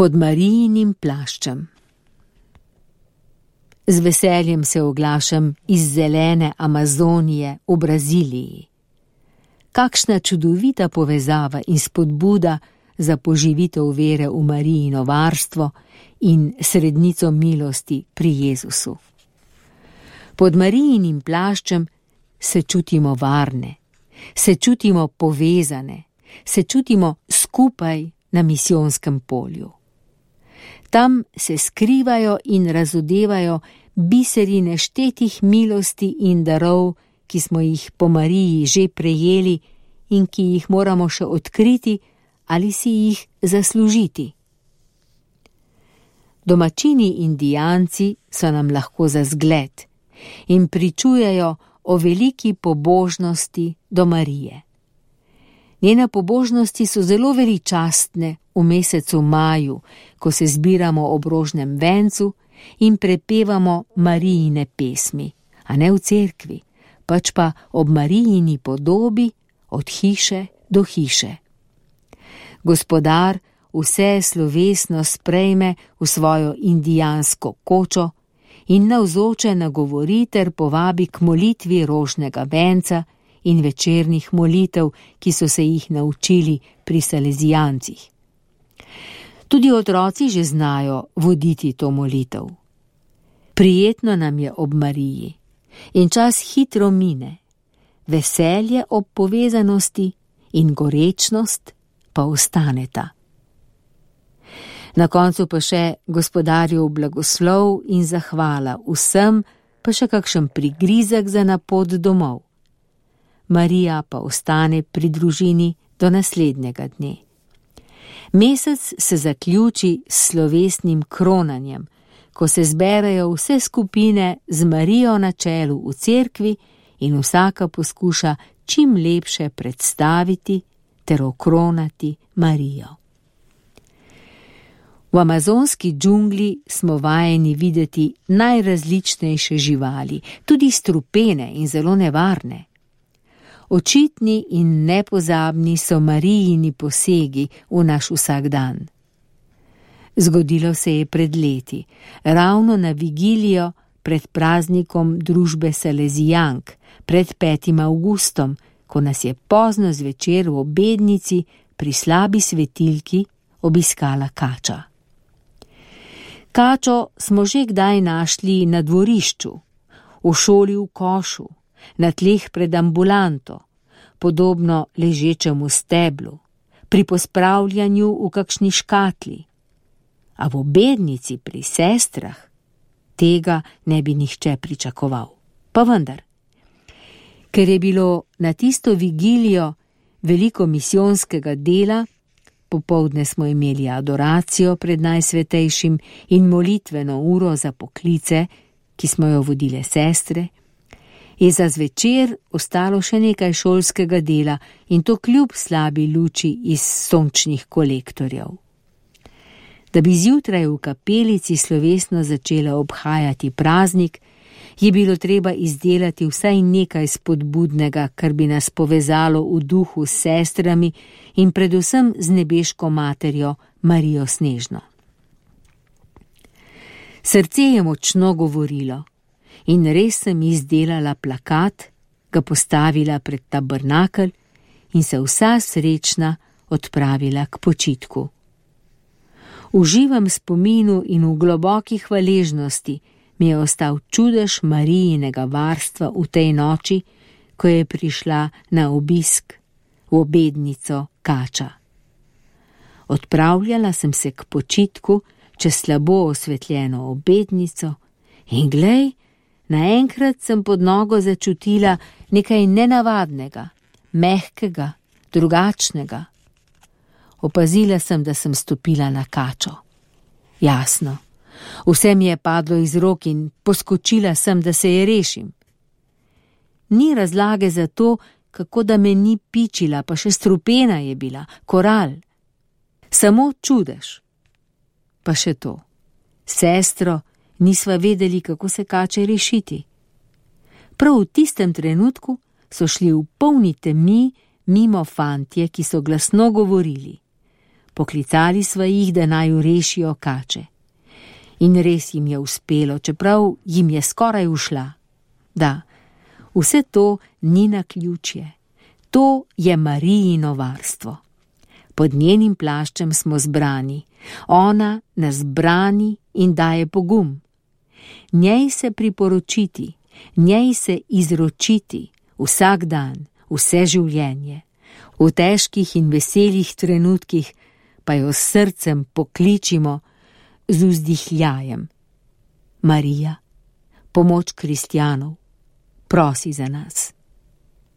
Pod Marijinim plaščem. Z veseljem se oglašam iz zelene Amazonije v Braziliji. Kakšna čudovita povezava in spodbuda za poživitev vere v Marijino varstvo in srednico milosti pri Jezusu. Pod Marijinim plaščem se čutimo varne, se čutimo povezane, se čutimo skupaj na misijonskem polju. Tam se skrivajo in razodevajo biseri neštetih milosti in darov, ki smo jih po Mariji že prejeli in ki jih moramo še odkriti ali si jih zaslužiti. Domačini Indijanci so nam lahko za zgled in pričujejo o veliki pobožnosti do Marije. Njene pobožnosti so zelo veličastne v mesecu maju, ko se zbiramo ob rožnem vencu in prepevamo Marijine pesmi, a ne v cerkvi, pač pa ob Marijini podobi od hiše do hiše. Gospodar vse slovesno sprejme v svojo indijansko kočo in navzoče nagovori ter povabi k molitvi rožnega venca in večernih molitev, ki so se jih naučili pri salezijancih. Tudi otroci že znajo voditi to molitev. Prijetno nam je ob Mariji in čas hitro mine, veselje ob povezanosti in gorečnost pa ostaneta. Na koncu pa še Gospodarjev blagoslov in zahvala vsem, pa še kakšen prigrizek za na pot domov. Marija pa ostane pri družini do naslednjega dne. Mesec se zaključi s slovesnim kronanjem, ko se zberejo vse skupine z Marijo na čelu v cerkvi in vsaka poskuša čim lepše predstaviti ter okronati Marijo. V amazonski džungli smo vajeni videti najrazličnejše živali, tudi strupene in zelo nevarne. Očitni in nepozabni so Marijini posegi v naš vsakdan. Zgodilo se je pred leti, ravno na vigilijo pred praznikom družbe Salezijank, pred 5. avgustom, ko nas je pozno zvečer v obednici pri slabi svetilki obiskala kača. Kačo smo že kdaj našli na dvorišču, v šoli v košu, na tleh pred ambulanto, podobno ležečemu steblu, pri pospravljanju v kakšni škatli. A v obednici pri sestrah tega ne bi nihče pričakoval. Pa vendar, ker je bilo na tisto vigilijo veliko misijonskega dela, popoldne smo imeli adoracijo pred Najsvetejšim in molitveno uro za poklice, ki smo jo vodile sestre, je za zvečer ostalo še nekaj šolskega dela in to kljub slabi luči iz sončnih kolektorjev. Da bi zjutraj v kapelici slovesno začela obhajati praznik, je bilo treba izdelati vsaj nekaj spodbudnega, kar bi nas povezalo v duhu s sestrami in predvsem z nebeško materjo Marijo Snežno. Srce je močno govorilo in res sem izdelala plakat, ga postavila pred tabernakelj in se vsa srečna odpravila k počitku. V živem spominu in v globoki hvaležnosti mi je ostal čudež Marijinega varstva v tej noči, ko je prišla na obisk v obednico kača. Odpravljala sem se k počitku čez slabo osvetljeno obednico in glej, naenkrat sem pod nogo začutila nekaj nenavadnega, mehkega, drugačnega. Opazila sem, da sem stopila na kačo. Jasno, vse mi je padlo iz rok in poskočila sem, da se je rešim. Ni razlage za to, kako da me ni pičila, pa še strupena je bila, koral. Samo čudež. Pa še to. Sestro, nisva vedeli, kako se kače rešiti. Prav v tistem trenutku so šli v polni temi mimo fantje, ki so glasno govorili. Poklicali sva jih, da naj rešijo kače. In res jim je uspelo, čeprav jim je skoraj ušla. Da, vse to ni naključje. To je Marijino varstvo. Pod njenim plaščem smo zbrani. Ona nas brani in daje pogum. Njej se priporočiti, njej se izročiti vsak dan, vse življenje. V težkih in veselih trenutkih pa jo s srcem pokličimo z vzdihljajem. Marija, pomoč kristjanov, prosi za nas.